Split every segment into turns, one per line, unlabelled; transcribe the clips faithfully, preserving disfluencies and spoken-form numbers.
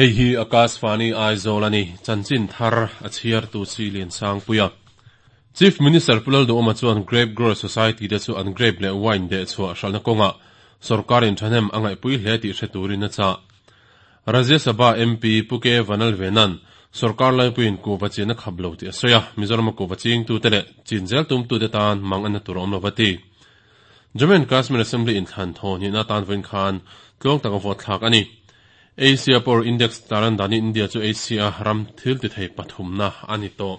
Hei hi Akashvani Aizawl ani chanchin thar a chhiar tu chi lian sang puia. Chief Minister Pu Lalduhoma chuan Grape Grower Society te chu an grape leh wine deh chhuah hralhna kawnga sorkarin thahnem a ngaihpui hle tih hre turin a chah. Rajya Sabha M P Pu K Vanlalvenan sorkar laipuiin kuhva chin a khap lo tih a sawi a, Mizoram a kuhva chingtute leh chin zel tumtute tan mang an na tur a awm lo va ti. Jammu and Kashmir Assembly inthlan thaw hnihna atan vawiin khan tluang taka vote thlak a ni. Asia Power Index taran danin India chu Asia ram thil ti thei pathumna a ni tawh.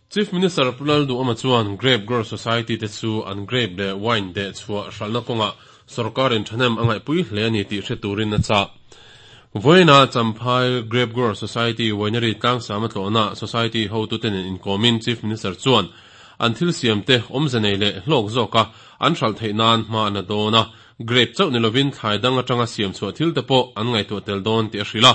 Chief Minister Pu Lalduhoma chuan Grape Grower Society te chu an grape leh wine deh chhuah hralhna kawngah sorkarin thahnem a ngaihpui hle a ni tih hre turin a chah. Vawiinah Champhai Grape Grower Society Winery tlangsam a tlawhna Society hotute nen inkawmin Chief Minister chuan an thil siamte awmze nei leh hlawk zawka an hralh theih nan hma an la dawn a, grape chauh ni lovin thlai dang atanga siam chhuah thil te pawh an ngaihtuah tel dawn tih a hrilh a.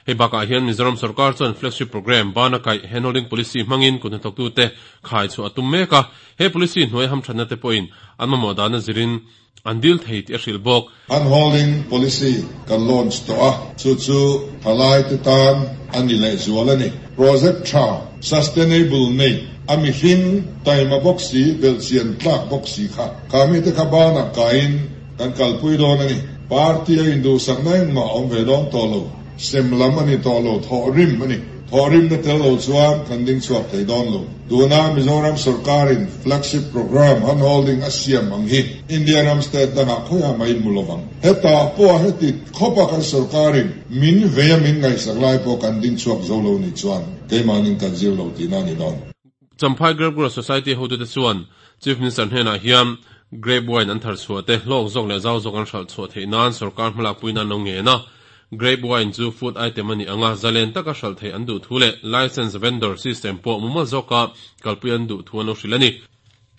Hei bakah hian Mizoram sorkar chuan flagship programme bana kaih handholding policy hmangin kut hnathawktute khai chhuah a tum mek a, he policy hnuai hamthatna te pawhin an mamawh dana zirin an dil thei tih a hrilh bawk.
Handholding policy kan launch tawh a, chu chu thalaite tan a ni lehzual a ni. Project tha, sustainable nei, a mihring taima bawk si, belhchian tlak bawk si kha kha mite kha banah kaiin kan kalpui dawn a ni. Party a induhsakna engmah a awm ve dawn tawh lo. Sem lam a ni tawh lo, thawhrim a ni. Thawhrimna tel lo chuan kan ding chhuak thei dawn lo. Tuna Mizoram sorkarin flagship programme handholding a siam ang hi India ram state dangah khawiah mah in hmu lovang. Hetah pawh heti khawpa kan sorkarin min vei a min ngaihsak lai pawh kan ding chhuak zo lo nih chuan keimahnin kan zir lo tihna a ni dawn.
Champhai Grape Grower Society hotute chuan Chief Minister hnenah hian grape wine an thar chhuah te hlawk zawk leh zau zawk an hralh chhuah theih nan sorkar hmalakpui nan lo ngen a. Grape wine chu food item a nih anga zalen taka hralh theih an duh thu leh licence vendor system pawh mumal zawka kalpui an duh thu an lo hrilh a ni.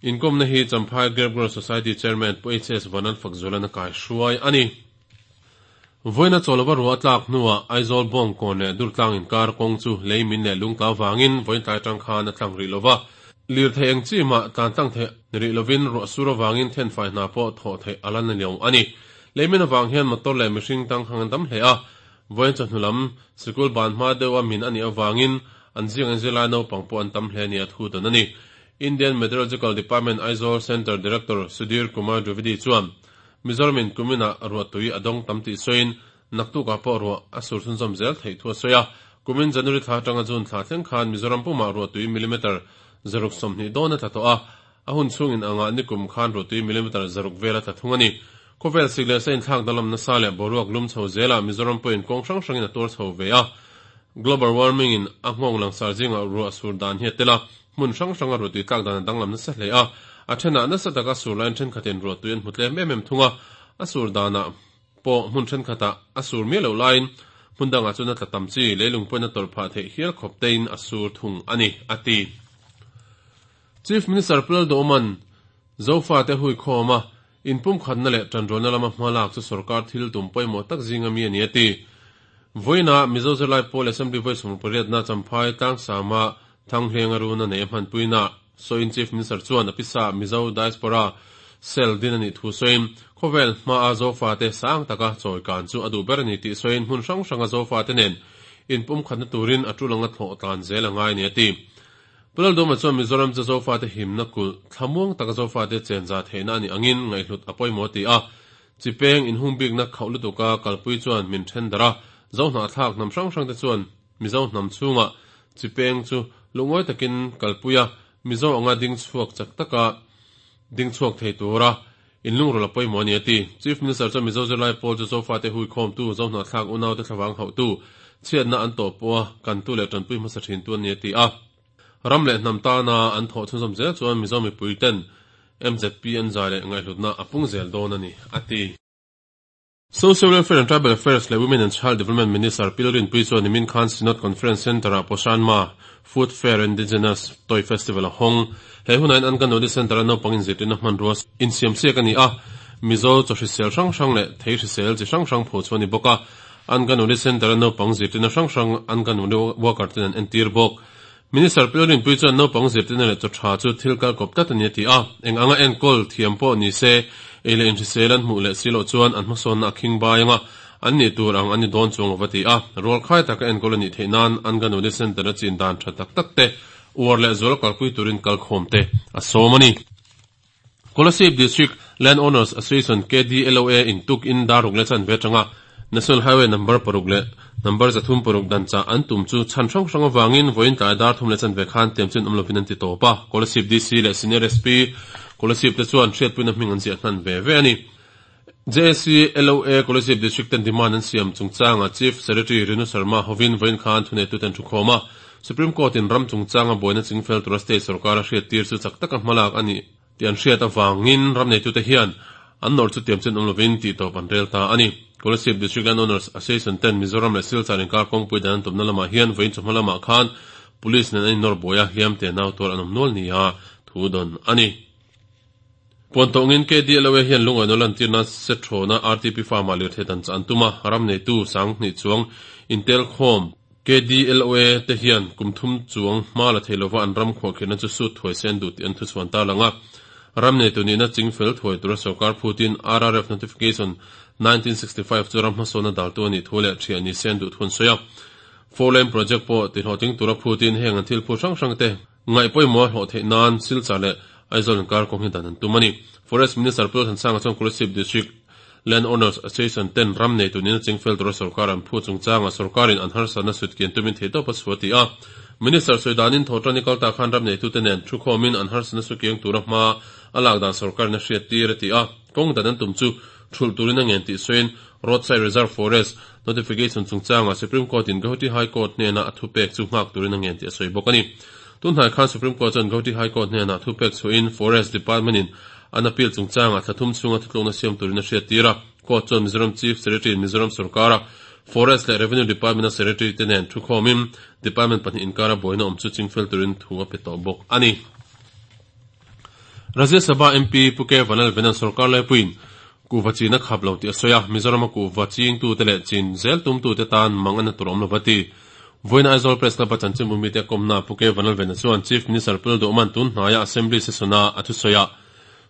Inkawmna hi Champhai Grape Grower Society Chairman Pu H S Vanlalfakzuala'n a kaihruai a ni. Vawiina chawlova ruah a tlak hnuah Aizawl Bawngkawn leh Durtlang inkar kawng chu lei min leh lungtla avangin vawiin tlai atang khan a tlang rih lova. Lirthei eng chi mah tlan tlang theih ni rih lovin ruah sur avangin thenfai hna pawh thawh theih a la ni lo a ni. Leimin avang hian motor leh mihring tangkhang an tam hle a, vawiin chawhnu lam sikul ban hma deuha min a nih avangin an zing an zirlai naupang pawh an tam hle nia thu dawn a ni. Indian Meteorological Department Aizawl Centre Director Sudhir Kumar Dwivedi chuan Mizoramin kuminah ruahtui a dawng tam tih sawiin naktukah pawh ruah a sur chhunzawm zel theih thu a sawi a. Kumin January thla atanga June thla thleng khan Mizoram pumah ruahtui millimeter zaruk sawmhnih dawn a tla tawh a, a hun chhungin angah nikum khan ruahtui millimeter zaruk vel a tla thung a ni. Khawvel sik leh sa inthlak danglam nasa leh boruak lum chho zelah Mizoram pawhin kawng hrang hrangin a tuar chho ve a. Global warming in a nghawng langsar zingah ruah sur dan hi a tel a, hmun hrang hranga ruahtui tlak dan a danglam nasa hle a. A thenah nasa taka sur laiin thenkhatin ruahtui an hmu tlem em em thung a, a sur danah pawh hmun thenkhatah a sur miah loh laiin hmun dangah chuan a tla tam chi, leilung pawhin a tawrh phah theih hial khawp tein a sur thung a ni, a ti. Chief Minister Pu Lalduhawma'n Zofate huikhawm a inpumkhatna leh tanrualna lama hma lak chu sorkar thil tum pawimawh tak zinga mi a ni, a ti. Vawiinah Mizo Zirlai Pawl Assembly vawi sawm pariatna Champhai Tlangsama Thanghlenga runa nei a hmanpuina sawiin Chief Minister chuan a pisa Mizo Diaspora Cell din a nih thu sawiin khawvel hmaa Zofate sang taka chawi kan chu a duh ber a ni tih sawiin hmun hrang hranga Zofate nen inpumkhatna turin a tul anga thlawh tlan zel a ngai a ni, a ti. Pu Lalduhoma chuan Mizoram chu Zofate himna kulh thlamuang taka Zofate chenza theihna a nih angin ngaihhlut a pawimawh ti a. Chipeng inhung bikna khauh lutuka kalpui chuan min then darh a, Zohnahthlak hnam hrang hrangte chuan Mizo hnam chhungah chipeng chu lungawi takin kalpui a, Mizo anga ding chhuak chak taka ding chhuak thei tura inlungrawlh a pawimawh a ni, a ti. Chief Minister chuan Mizo zirlai pawl chu Zofate huikhawmtu, Zohnahthlak unaute thlavang hauhtu, chhiatna an tawh pawha kantu leh tanpui hmasa thintu a ni, a ti a. Ram leh hnam tana an thawh chhunzawm zel chuan Mizo mipui ten M Z P an zai leh ngaihhlutna a pung zel dawn a ni, a ti. Social Welfare and Tribal Affairs leh Women and Child Development Minister Pi Lalrinpuii chuan nimin khan Synod Conference Centre-ah Poshan Ma Food Fair Indigenous Toy Festival a hawng. He hunah hian Anganwadi Centre-a naupang inzirtirna hmanrua insiamsiak a ni a, Mizo chaw hrisel hrang hrang leh thei hrisel chi hrang hrang pho chu a ni bawk a. Anganwadi Centre-a naupang zirtirna hrang hrang Anganwadi worker ten an entir bawk. Minister Pi Lalrinpuii chuan naupang zirtirna leh chaw tha chu thil kal kawp tlat a ni a ti a, eng anga enkawl thiam pawh ni se, ei leh inhrisel an hmuh leh si loh chuan an hmasawnna a khing bai anga an ni tur ang an ni dawn chuang lova ti a, rualkhai taka enkawl a nih theih nan Anganwadi Centre a chin dan tha tak tak te uar leh zual kalpui turin kalkhawm te a sawm a ni. Kolasib District Land Owners Association, K D L O A, in tuk in daruk le chan ve tanga National Highway number paruk le number zathum paruk dan cha an tum chu chan hrang hrang awangin voin tlai dar thum le chan ve khan tiam chen omlovin an ti topa. Kolasib D C le Senior S P Kolasib te chuan hriatpuina hming an ziah hnan ve ve ani. J C L O A Kolasib District ten demand an siam chungchanga Chief Secretary Renu Sharma hovin voin khan thune tu ten thukhoma. Supreme Court in ram chungchanga boina chingfel tura state sarkar a hriat tir chu chak taka hmalak ani ti an hriat awangin ram nei tu te hian an nor chu tiam chen omlovin ti tawp an rel ta ani. Kolasib District Land Owners Association ten Mizoram leh Silchar inkar kawngpui dan an tumna lamah hian vawiin chawhma lamah khan police nen an innawr buai a, hliam te nau tuar an awm nual nia thu dawn ani. Puantawngin K D L O A hian lungawi nawl lantirna Setrawna R T P farm ah lirthei dan cha an tum a, ram neitu sang hnih chuang intel khawm K D L O A te hian kum thum chuang hma la thei lova an ram khuahkhirhna chu sut thuai sen duh tih an thuchhuan ta lang a. Ram neitu nihna chingfel thuai tura sarkar phutin R R F Notification nineteen sixty-five chu ram hmasawna daltu a nih thu leh thiah ni sen duh thun sawi a. Four lane project pawh ti hlawhtling tura phutin heng an thil phu hrang hrang te ngaih pawimawh hlawh theih nan Silchar leh Aizawl inkar kawng hi dan an tum a ni. Forest Minister Pu Thansanga chuan Kolasib District Land Owners Association ten ram neitu nihna chingfel tura sarkar an phu chungchanga sarkarin an harsatna sut kian tumin theitawp a chhuah ti a. Minister sawidanin thawtani kalta khan ram neitu te nen thu khawmin an harsatna su kiang tura hma a lak dan sarkarin a hriat tir a ti a. Kawng dan an tum chu thul turin a ngen tih sawiin Roadside Reserve Forest Notification chungchanga Supreme Court in Guwahati High Court hnena a thupek chu nghak turin a ngen tih a sawi bawk a ni. Tunhnai khan Supreme Court chuan Guwahati High Court hnena thupek chuin Forest Department in an appeal chungchanga thlathum chunga thutlukna siam turin a hriat tir a. Court chuan Mizoram Chief Secretary in Mizoram sarkara Forest leh Revenue Department a Secretary te nen thu khawmin department pahnih inkara buaina awm chu chingfel turin thu a pe tawh bawk a ni. Rajya Sabha M P Pu K Vanlalvenan sarkar laipuiin kuhva chin a khap lo tih a sawi a, Mizoram a kuhva ching tu te leh chin zel tum tu te tan mang an tur awm lova ti. Voina Aizawl Press Club a chanchin bumi te kawmna Pu K Vanlalvena chuan Chief Minister Pu Lalduhman tun hnaia Assembly session-a a thusawi a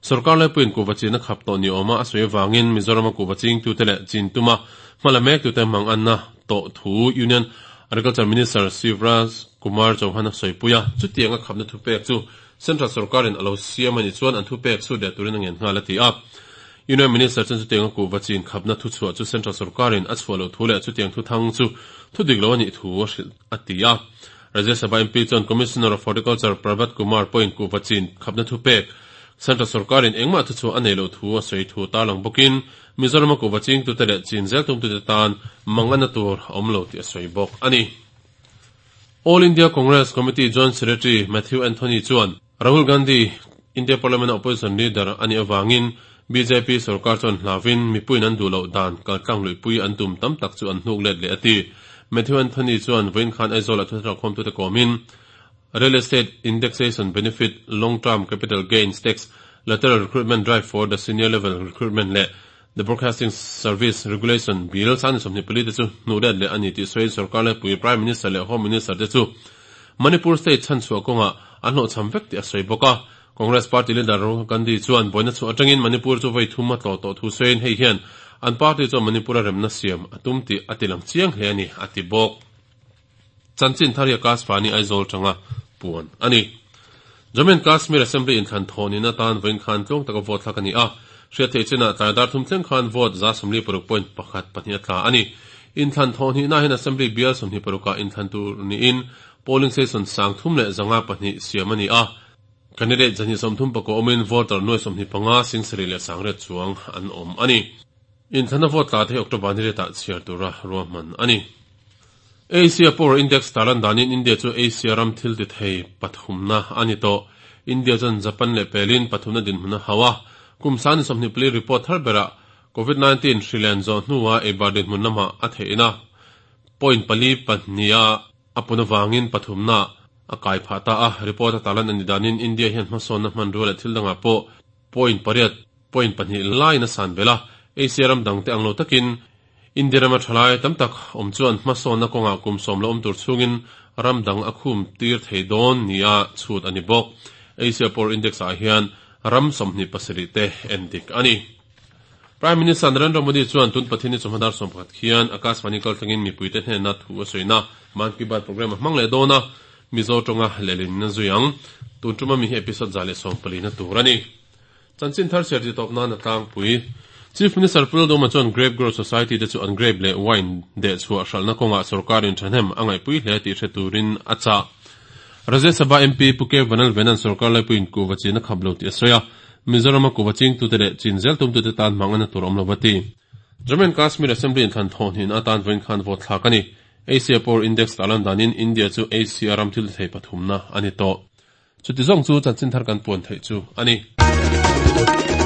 sarkar laipuiin kuhva chin a khap tawh ni awma a sawi awangin Mizoram a kuhva ching tu te leh chin tuma hmala mek tu te mang an na tawh thu Union Agriculture Minister Shivraj Kumar Chauhan a sawipuia. Chutiang a khapna thupek chu Central sarkarin a lo siam ani chuan an thupek chu leh turin a ngen nghal a ti a. Union Minister chuan chutiang a kuhva chin khapna thu chhuah chu Central sarkarin a chhuah lo thu leh chutiang thu thang chu thu dik lo ani thu a hrilh a ti a. Rajya Sabha M P chuan Commissioner of Horticulture Prabhat Kumar point kuhva chin khapna thupek Central sarkarin engmah thu chu a nei lo thu a sawi thu tarlang bawkin Mizoram a kuhva ching tu te leh chin zel tum tu te tan mang ana tur awm lo tih a sawi bawk ani. All India Congress Committee Joint Secretary Matthew Anthony chuan Rahul Gandhi India Parliament Opposition Leader ani awangin B J P sarkar chuan hlawin mipuiin an duh loh dan kaltlang luipui an tum tam tak chu an hnuk let leh a ti. Matthew Anthony chuan vawiin khan Aizawl a thuthar khawm tu te kawmin Real Estate Indexation Benefit, Long Term Capital Gains Tax, Lateral Recruitment Drive for the Senior Level Recruitment leh the Broadcasting Service Regulation Bill sangni sawmhnih pali te chu hnuh let leh ani tih sawiin sarkar laipui Prime Minister leh Home Minister te chu Manipur State chhan chhuah kawnga an hlawhchham vek tih a sawi bawk a. Congress Party leader Rahul Gandhi chuan buaina chu atangin Manipur chu vei thum a tlaw tawh thu sawiin hei hian an party chuan Manipur a remna siam a tum tih a tilang chiang hle ani a ti bawk. Chanchin thar Akashvani Aizawl tanga puan ani. Jammu and Kashmir Assembly in thlan thawnin atan vawiin khan tlawng taka vote thlak ani a. Hriat thei china tlai dar thum thleng khan vote za sawmli paruk point pakhat pahnih a tla ani. In thlan thawhni na hian Assembly bial sawmhnih paruka in thlan tur niin polling station sang thum leh zanga pahnih siam ani a. Candidate zani sawmthum pako awmin voter nuai sawmhnih panga sing sarih leh sangriat chuang an awm ani. In thlana vote tla te October ni retah chhiar tura ruahman ani. Asia Power Index talan danin India chu Asia ram thil ti thei pathumna ani to. India chuan Japan leh pelin pathumna dinhmun a hawa. Kum sani sawmhnih pali report thar bera COVID nineteen hrilen zawh hnuah eibar dinhmun lama a theihna point pali pahnih a pun awangin pathumna a kai phah ta a. Report a talan ani danin India hian hmasawnna hman rual leh thil dangah pawh point pariat point pahnih lain a san bela. Asia ram dang te ang lo takin India rama thalai tam tak awm chuan hmasawnna kawngah kum sawm lo awm tur chungin ram dang a khum tir thei dawn nia chhut ani bawk. Asia Power Index ah hian ram sawmhnih pasarih te en dik ani. Prime Minister Narendra Modi chuan tun Pathianni chawhma dar sawm pakhat khian Akashvani kaltlangin mipuite hnena thu a sawina Mann Ki Baat programme a hmang leh dawn a, Mizo tawnga lehlin a zui ang. Tun tuma mi hi episode za leh sawm palina tur a ni. Chanchin thar chhiar ti tawp nan a tlangpui. Chief Minister Pu Lalduhoma chuan Grape Growers Society te chu an grape leh wine dehchhuah hralhna kawngah sorkarin thahnem a ngaihpui hle tih hre turin a chah. Rajya Sabha M P Pu K Vanlalvena'n sorkar laipuiin kuhva chin a khap lo tih a sawi a, Mizorama kuhva chingtute leh chin zel tumtute tan hmang ana tur awm lo va ti. Jammu and Kashmir Assembly inthlan thawhhnin atan vawiin khan vote thlak a ni. Asia Power Index tarlan danin India chu Asia ram thil thei pathumna a ni tawh. Chuti zawng chu chanchin thar kan puan theih chu a ni.